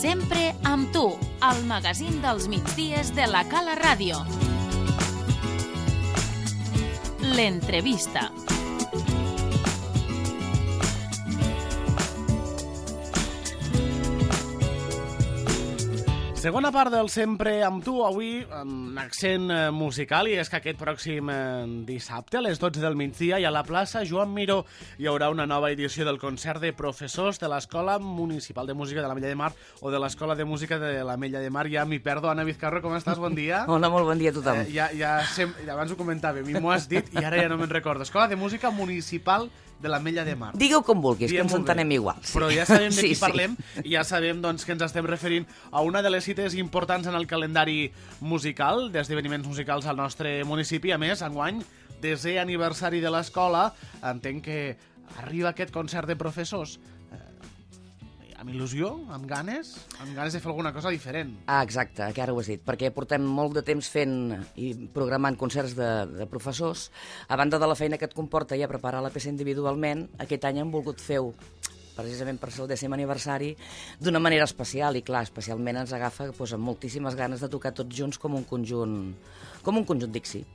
Sempre amb tu, al magazín dels migdies de la Cala Ràdio. L'entrevista. Segona part del Sempre amb tu, avui amb accent musical, i és que aquest pròxim dissabte a les 12 del migdia i a la plaça Joan Miró hi haurà una nova edició del concert de professors de l'Escola Municipal de Música de l'Ametlla de Mar o de l'Escola de Música de l'Ametlla de Mar. Ja m'hi perdo. Anna Vizcarro, com estàs? Bon dia. Hola, molt bon dia a tothom. Abans ho comentàvem i m'ho has dit i ara ja no me'n recordo. Escola de Música Municipal de l'Ametlla de Mar. Digueu com vulguis, que ens entenem igual. Sí. Però ja sabem de qui parlem i ja sabem doncs, que ens estem referint a una de les cites importants en el calendari musical, d'esdeveniments musicals al nostre municipi. A més, enguany, 10è aniversari de l'escola, entenc que arriba aquest concert de professors amb il·lusió, amb ganes de fer alguna cosa diferent. Ah, exacte, que ara ho has dit, perquè portem molt de temps fent i programant concerts de professors. A banda de la feina que et comporta ja preparar la peça individualment, aquest any hem volgut fer-ho precisament per ser el 10è aniversari d'una manera especial, i clar, especialment ens agafa amb moltíssimes ganes de tocar tots junts com un conjunt Dixi.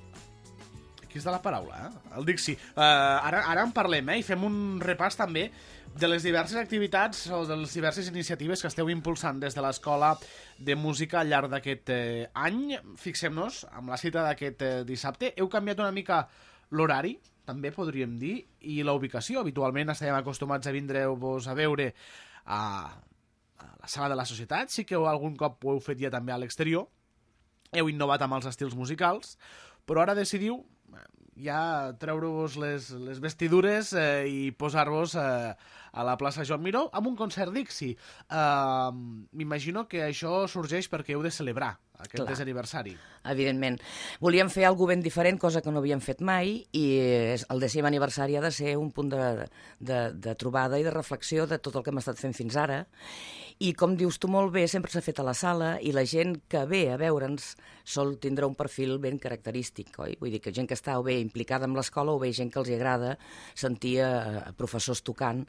Aquí està la paraula, el Dixi. Ara en parlem, i fem un repàs també de les diverses activitats o de les diverses iniciatives que esteu impulsant des de l'Escola de Música al llarg d'aquest any. Fixem-nos amb la cita d'aquest dissabte. Heu canviat una mica l'horari, també podríem dir, i la ubicació. Habitualment estàvem acostumats a vindre-vos a veure a la sala de la Societat. Sí que algun cop ho heu fet ja també a l'exterior. Heu innovat amb els estils musicals, però ara decidiu ja treure-vos les vestidures i posar-vos a la plaça Joan Miró amb un concert Dixi. M'imagino que això sorgeix perquè heu de celebrar aquest 10è aniversari. Evidentment. Volíem fer alguna ben diferent, cosa que no havíem fet mai, i el 10è aniversari ha de ser un punt de trobada i de reflexió de tot el que hem estat fent fins ara. I com dius tu molt bé, sempre s'ha fet a la sala i la gent que ve a veure'ns sol tindrà un perfil ben característic, oi? Vull dir que gent que està o bé implicada amb l'escola o bé gent que els agrada sentir professors tocant.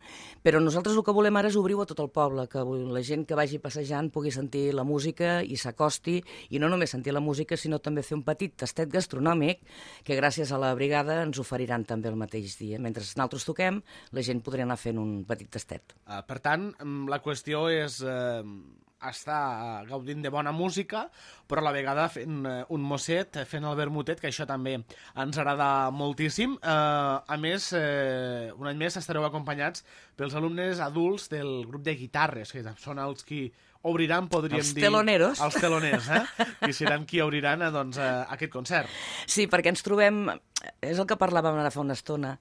Però nosaltres el que volem ara és obrir-ho a tot el poble, que la gent que vagi passejant pugui sentir la música i s'acosti, i no només sentir la música, sinó també fer un petit tastet gastronòmic que gràcies a la brigada ens oferiran també el mateix dia. Mentre nosaltres toquem, la gent podrà anar fent un petit tastet. Per tant, la qüestió és estar gaudint de bona música, però a la vegada fent un mosset, fent el vermutet, que això també ens agrada moltíssim. A més, un any més estareu acompanyats pels alumnes adults del grup de guitarres, que són els qui obriran, podríem dir... Teloneros. Els teloners, que seran qui obriran aquest concert. Sí, perquè ens trobem... És el que parlàvem ara fa una estona.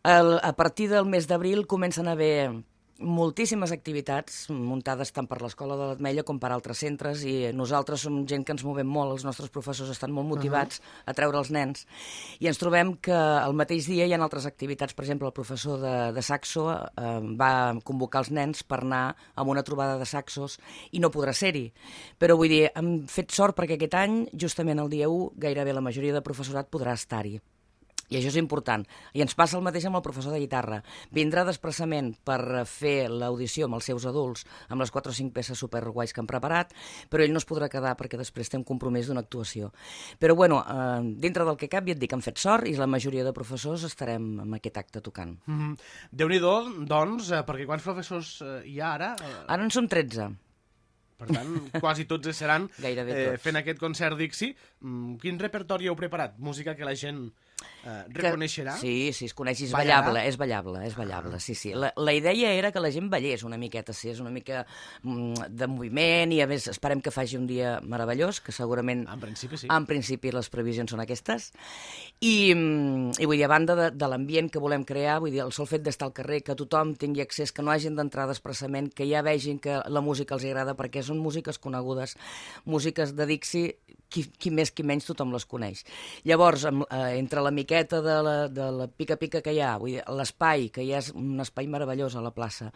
A partir del mes d'abril comencen a haver moltíssimes activitats muntades tant per l'Escola de l'Ametlla com per altres centres, i nosaltres som gent que ens movem molt, els nostres professors estan molt motivats a treure els nens, i ens trobem que al mateix dia hi ha altres activitats. Per exemple, el professor de saxo va convocar els nens per anar a una trobada de saxos i no podrà ser-hi, però vull dir, hem fet sort perquè aquest any, justament el dia 1, gairebé la majoria de professorat podrà estar-hi. I això és important. I ens passa el mateix amb el professor de guitarra. Vindrà desplaçament per fer l'audició amb els seus adults, amb les 4 o 5 peces superguais que han preparat, però ell no es podrà quedar perquè després té un compromís d'una actuació. Però bueno, dintre del que cap, ja et dic, hem fet sort i la majoria de professors estarem en aquest acte tocant. Déu-n'hi-do, doncs, perquè quants professors hi ha ara? Ara en som 13. Per tant, quasi tots seran fent aquest concert Dixi. Quin repertori heu preparat? Música que la gent reconeixerà? Sí, es coneix, és ballable, sí. La idea era que la gent ballés una miqueta, sí, és una mica de moviment, i a més esperem que faci un dia meravellós, que segurament... En principi sí. En principi les previsions són aquestes. I vull dir, a banda de l'ambient que volem crear, vull dir, el sol fet d'estar al carrer, que tothom tingui accés, que no hagin d'entrar expressament, que ja vegin que la música els agrada, perquè són músiques conegudes, músiques de Dixi, qui més qui menys tothom les coneix. Llavors, entre la miqueta de la pica-pica que hi ha, vull dir, l'espai, que ja és un espai meravellós a la plaça,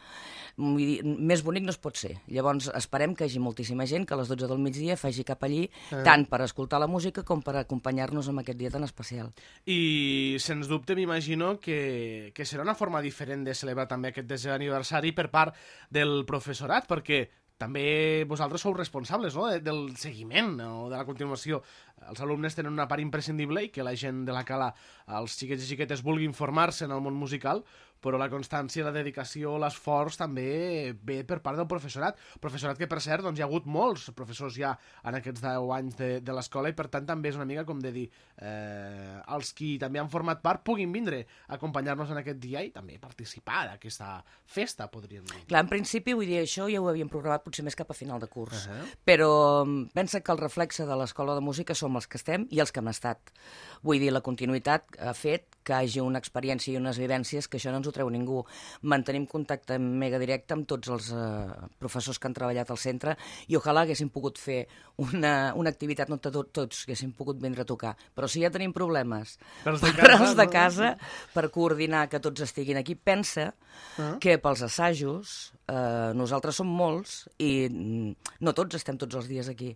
vull dir, més bonic no es pot ser. Llavors, esperem que hi hagi moltíssima gent que a les 12 del migdia faci cap allí, tant per escoltar la música com per acompanyar-nos en aquest dia tan especial. I, sens dubte, m'imagino que serà una forma diferent de celebrar també aquest 10è aniversari per part del professorat, perquè també vosaltres sou responsables, no?, del seguiment o de la continuació. Els alumnes tenen una part imprescindible i que la gent de la Cala, els xiquets i xiquetes, vulguin formar-se en el món musical, però la constància, la dedicació, l'esforç també ve per part del professorat. Professorat que, per cert, doncs, hi ha hagut molts professors ja en aquests 10 anys de l'escola i, per tant, també és una mica com de dir els qui també han format part puguin vindre a acompanyar-nos en aquest dia i també participar d'aquesta festa, podríem dir. Clar, en principi, vull dir, això ja ho havíem programat potser més cap a final de curs, però pensa que el reflexe de l'Escola de Música som els que estem i els que hem estat. Vull dir, la continuïtat ha fet que hi hagi una experiència i unes vivències que això no ens ho treu ningú. Mantenim contacte mega directe amb tots els professors que han treballat al centre i ojalà haguéssim pogut fer una activitat, no tots haguéssim pogut vindre a tocar, però si ja tenim problemes per els de casa, per coordinar que tots estiguin aquí, pensa que pels assajos nosaltres som molts i no tots estem tots els dies aquí.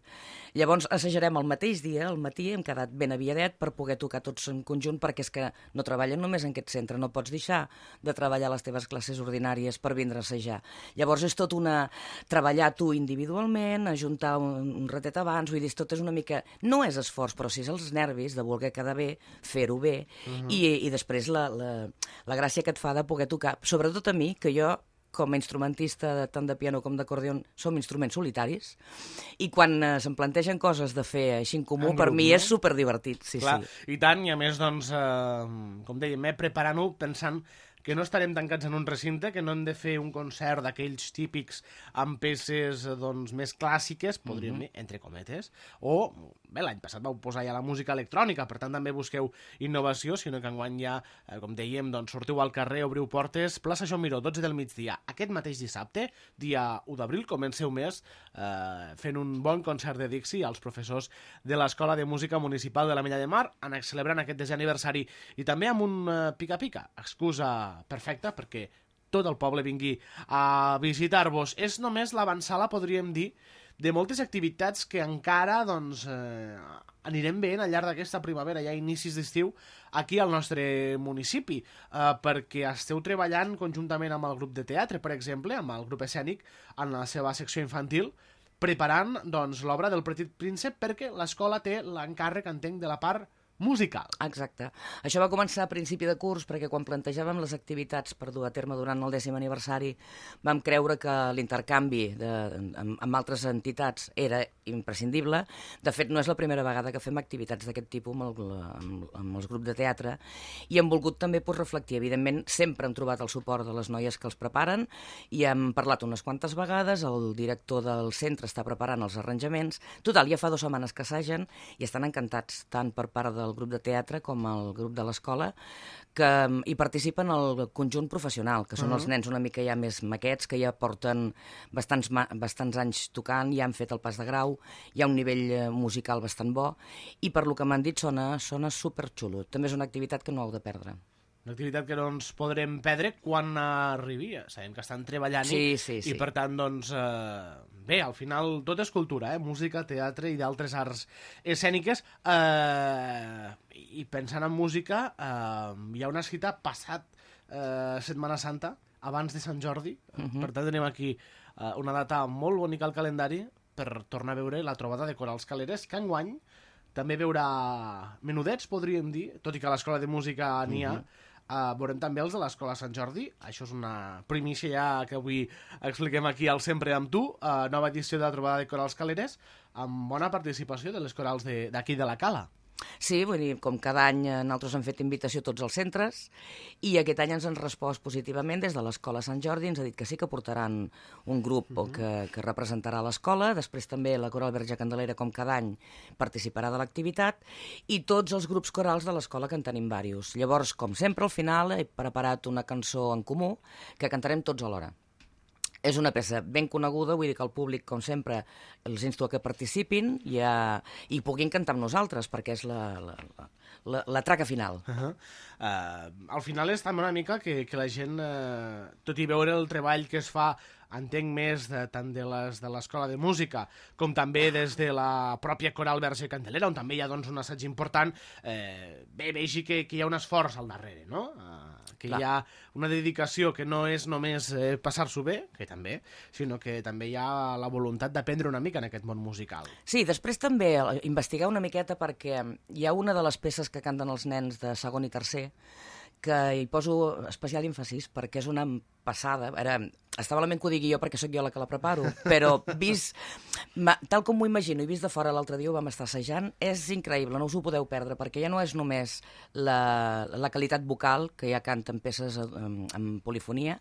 Llavors assajarem el mateix dia, al matí, hem quedat ben aviadet per poder tocar tots en conjunt, perquè és que no treballen només en aquest centre, no pots deixar de treballar les teves classes ordinàries per vindre a assajar. Llavors és tot treballar tu individualment, ajuntar un ratet abans, vull dir, tot és una mica... No és esforç, però sí és els nervis de voler quedar bé, fer-ho bé, i després la gràcia que et fa de poder tocar, sobretot a mi, que jo com a instrumentista tant de piano com d'acordion som instruments solitaris i quan se'm plantegen coses de fer així en comú, per mi és superdivertit. Clar, i tant, i a més, doncs, com dèiem, preparant-ho pensant que no estarem tancats en un recinte, que no hem de fer un concert d'aquells típics amb peces doncs, més clàssiques, podríem dir, entre cometes, o, bé, l'any passat vau posar ja la música electrònica, per tant també busqueu innovació, sinó que enguany ja, com dèiem, doncs, sortiu al carrer, obriu portes, plaça Joan Miró, 12 del migdia. Aquest mateix dissabte, dia 1 d'abril, comenceu més fent un bon concert de Dixi als professors de l'Escola de Música Municipal de la Mella de Mar, celebrant aquest 10è aniversari, i també amb un pica-pica, excusa perfecta perquè tot el poble vingui a visitar-vos. És només l'avançala, podríem dir, de moltes activitats que encara doncs, anirem veient al llarg d'aquesta primavera, ja a inicis d'estiu, aquí al nostre municipi, perquè esteu treballant conjuntament amb el grup de teatre, per exemple, amb el grup escènic, en la seva secció infantil, preparant doncs, l'obra del Petit Príncep, perquè l'escola té l'encàrrec, entenc, de la part musical. Exacte. Això va començar a principi de curs perquè quan plantejàvem les activitats per dur a terme durant el 10è aniversari vam creure que l'intercanvi amb altres entitats era imprescindible. De fet, no és la primera vegada que fem activitats d'aquest tipus amb els grups de teatre i hem volgut també reflectir. Evidentment, sempre hem trobat el suport de les noies que els preparen i hem parlat unes quantes vegades, el director del centre està preparant els arranjaments. Total, ja fa 2 setmanes que assagen i estan encantats, tant per part del grup de teatre com el grup de l'escola, que hi participen el conjunt professional, que són els nens una mica ja més maquets, que ja porten bastants anys tocant, ja han fet el pas de grau, hi ha un nivell musical bastant bo, i per lo que m'han dit sona superxulo. També és una activitat que no heu de perdre. Una activitat que no ens podrem perdre quan arribi. Sabem que estan treballant-hi i per tant, doncs, bé, al final tot és cultura, música, teatre i d'altres arts escèniques. I pensant en música, hi ha una cita passat Setmana Santa, abans de Sant Jordi. Per tant, tenim aquí una data molt bonica al calendari per tornar a veure la trobada de corals caleres, que enguany també veurà menudets, podríem dir, tot i que a l'Escola de Música n'hi ha. Veurem també els de l'Escola Sant Jordi. Això és una primícia ja que avui expliquem aquí al Sempre amb tu. Nova edició de la trobada de corals caleres amb bona participació de les corals d'aquí de la Cala. Sí, vull dir, com cada any nosaltres hem fet invitació a tots els centres i aquest any ens han respost positivament des de l'Escola Sant Jordi, ens ha dit que sí que portaran un grup que representarà l'escola, després també la Coral Verge Candelera, com cada any, participarà de l'activitat i tots els grups corals de l'escola, que en tenim diversos. Llavors, com sempre, al final he preparat una cançó en comú que cantarem tots alhora. És una peça ben coneguda, vull dir que el públic, com sempre, els insto a que participin i puguin cantar amb nosaltres, perquè és la traca final. Al final és també una mica que la gent, tot i veure el treball que es fa, entenc més tant de l'Escola de Música com també des de la pròpia Coral Verge Candelera, on també hi ha un assaig important, vegi que hi ha un esforç al darrere, no? que hi ha una dedicació que no és només passar-s'ho bé, que també, sinó que també hi ha la voluntat d'aprendre una mica en aquest món musical. Sí, després també investigar una miqueta perquè hi ha una de les peces que canten els nens de segon i tercer que hi poso especial èmfasis perquè és una passada. Ara, està malament que ho digui jo perquè sóc jo la que la preparo, però vist, tal com m'ho imagino i vist de fora l'altre dia ho vam estar assajant, és increïble, no us ho podeu perdre, perquè ja no és només la qualitat vocal, que ja canten peces amb polifonia,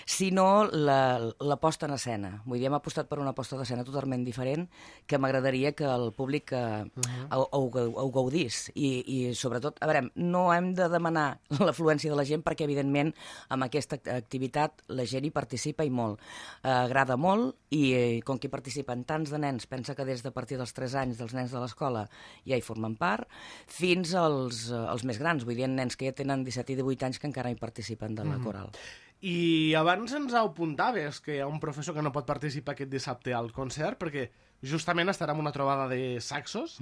sinó la posta en escena. Vull dir, hem apostat per una posta d'escena totalment diferent que m'agradaria que el públic ho gaudís. I sobretot, a veure, no hem de demanar l'afluència de la gent perquè, evidentment, amb aquesta activitat la gent hi participa i molt. Agrada molt i com que hi participen tants de nens, pensa que des de partir dels 3 anys dels nens de l'escola ja hi formen part, fins als més grans, vull dir, nens que ja tenen 17 i 18 anys que encara hi participen de la coral. I abans ens apuntaves que hi ha un professor que no pot participar aquest dissabte al concert perquè justament estarà en una trobada de saxos.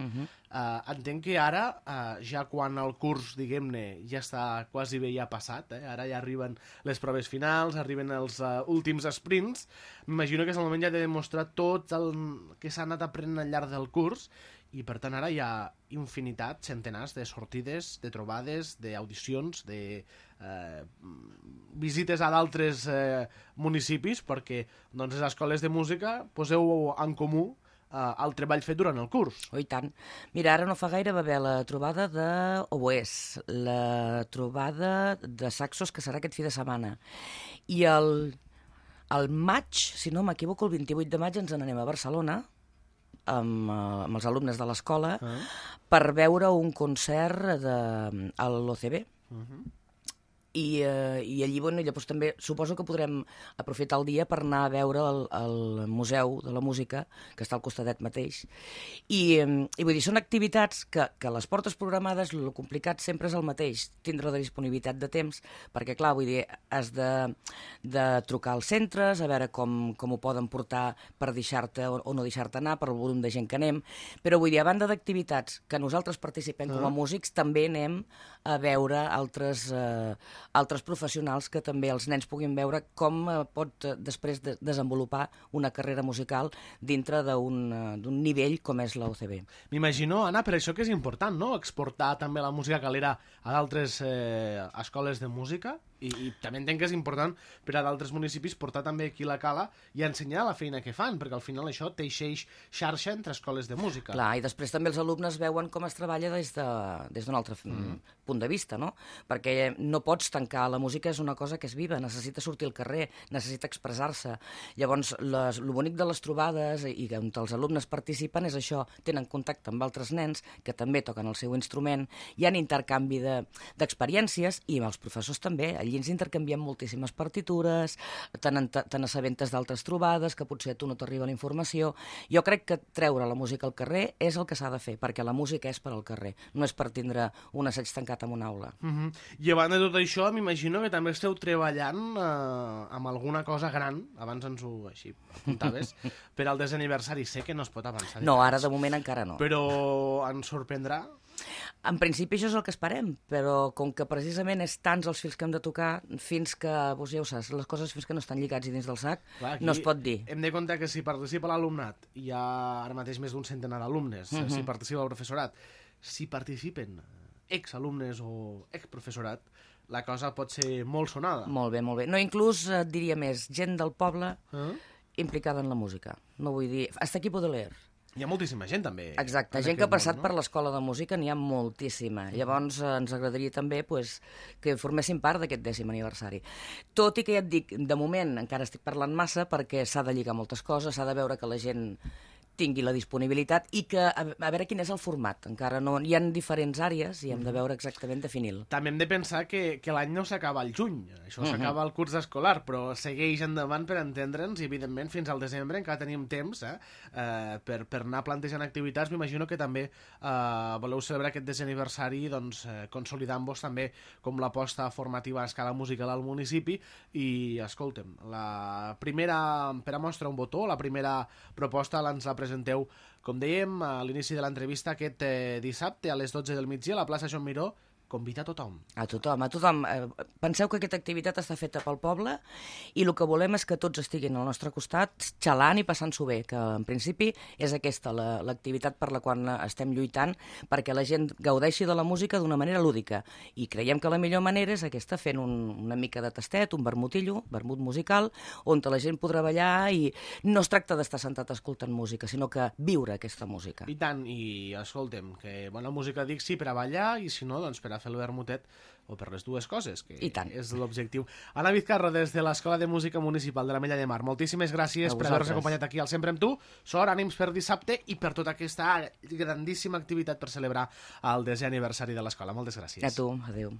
Entenc que ara, ja quan el curs, diguem-ne, ja està quasi bé ja passat, ara ja arriben les proves finals, arriben els últims sprints, m'imagino que és el moment ja de demostrar tot el que s'ha anat aprenent al llarg del curs i per tant ara hi ha infinitat, centenars de sortides, de trobades, d'audicions, de visites a d'altres municipis perquè doncs, les escoles de música poseu en comú el treball fet durant el curs. Oh, i tant. Mira, ara no fa gaire va haver la trobada d'oboès, la trobada de saxos, que serà aquest fi de setmana. I el maig, si no m'equivoco, el 28 de maig ens n'anem a Barcelona amb els alumnes de l'escola per veure un concert a l'OCB. I allí, bueno, llavors també suposo que podrem aprofitar el dia per anar a veure el Museu de la Música, que està al costadet mateix. I vull dir, són activitats que les portes programades, el complicat sempre és el mateix, tindre la disponibilitat de temps, perquè, clar, vull dir, has de trucar als centres, a veure com ho poden portar per deixar-te o no deixar-te anar, per el volum de gent que anem, però vull dir, a banda d'activitats que nosaltres participem com a músics, també anem a veure altres professionals que també els nens puguin veure com pot després desenvolupar una carrera musical dintre d'un nivell com és la UCB. M'imagino, Anna, per això que és important, no?, exportar també la música calera a d'altres escoles de música i també entenc que és important per a d'altres municipis portar també aquí la cala i ensenyar la feina que fan, perquè al final això teixeix xarxa entre escoles de música. Clar, i després també els alumnes veuen com es treballa des d'un altre punt de vista, no? Perquè no pots tancar, la música és una cosa que és viva, necessita sortir al carrer, necessita expressar-se. Llavors, el bonic de les trobades i on els alumnes participen és això, tenen contacte amb altres nens que també toquen el seu instrument, hi ha intercanvi d'experiències i amb els professors també. Allí ens intercanviem moltíssimes partitures, te n'assabentes d'altres trobades, que potser a tu no t'arriba la informació. Jo crec que treure la música al carrer és el que s'ha de fer, perquè la música és per al carrer, no és per tindre un assaig tancat en una aula. I abans de tot això, m'imagino que també esteu treballant amb alguna cosa gran, abans ens ho així apuntaves, per al desaniversari. Sé que no es pot avançar. No, ara de moment encara no. Però ens sorprendrà? En principi això és el que esperem, però com que precisament és tants els fils que hem de tocar, fins que, doncs ja ho saps, les coses fins que no estan lligats i dins del sac, no es pot dir. Hem de comptar que si participa l'alumnat, hi ha ara mateix més d'un centenar d'alumnes, si participa el professorat, si participen exalumnes o exprofessorat, la cosa pot ser molt sonada. Molt bé, molt bé. No, inclús et diria més, gent del poble implicada en la música. No vull dir... Hasta aquí puedo leer. Hi ha moltíssima gent, també. Exacte, gent que ha passat per l'escola de música n'hi ha moltíssima. Llavors ens agradaria també que formessin part d'aquest 10è aniversari. Tot i que ja et dic, de moment encara estic parlant massa perquè s'ha de lligar moltes coses, s'ha de veure que la gent tingui la disponibilitat i que, a veure quin és el format. Encara no, hi ha diferents àrees i hem de veure exactament definir-lo. També hem de pensar que l'any no s'acaba al juny, això s'acaba al curs escolar, però segueix endavant per entendre'ns i, evidentment, fins al desembre encara tenim temps per anar plantejant activitats. M'imagino que també voleu celebrar aquest 10è aniversari doncs, consolidant-vos també com l'aposta formativa a escala musical al municipi i, escolta'm, la primera, per a mostrar un botó, la primera proposta ens la presenteu, com dèiem a l'inici de l'entrevista, aquest dissabte a les 12 del migdia a la plaça Joan Miró convida a tothom. A tothom, a tothom. Penseu que aquesta activitat està feta pel poble i el que volem és que tots estiguin al nostre costat xalant i passant-s'ho bé, que en principi és aquesta l'activitat per la qual estem lluitant, perquè la gent gaudeixi de la música d'una manera lúdica. I creiem que la millor manera és aquesta, fent una mica de tastet, un vermutillo, vermut musical, on la gent podrà ballar i no es tracta d'estar sentat escoltant música, sinó que viure aquesta música. I tant, i escoltem, que bona música Dixi per a ballar i si no, doncs per a fer el vermutet o per les dues coses, que és l'objectiu. Anna Vizcarro, des de l'Escola de Música Municipal de l'Ametlla de Mar, moltíssimes gràcies per haver-nos acompanyat aquí al Sempre amb tu. Sort, ànims per dissabte i per tota aquesta grandíssima activitat per celebrar el 10è aniversari de l'escola. Moltes gràcies. A tu, adéu.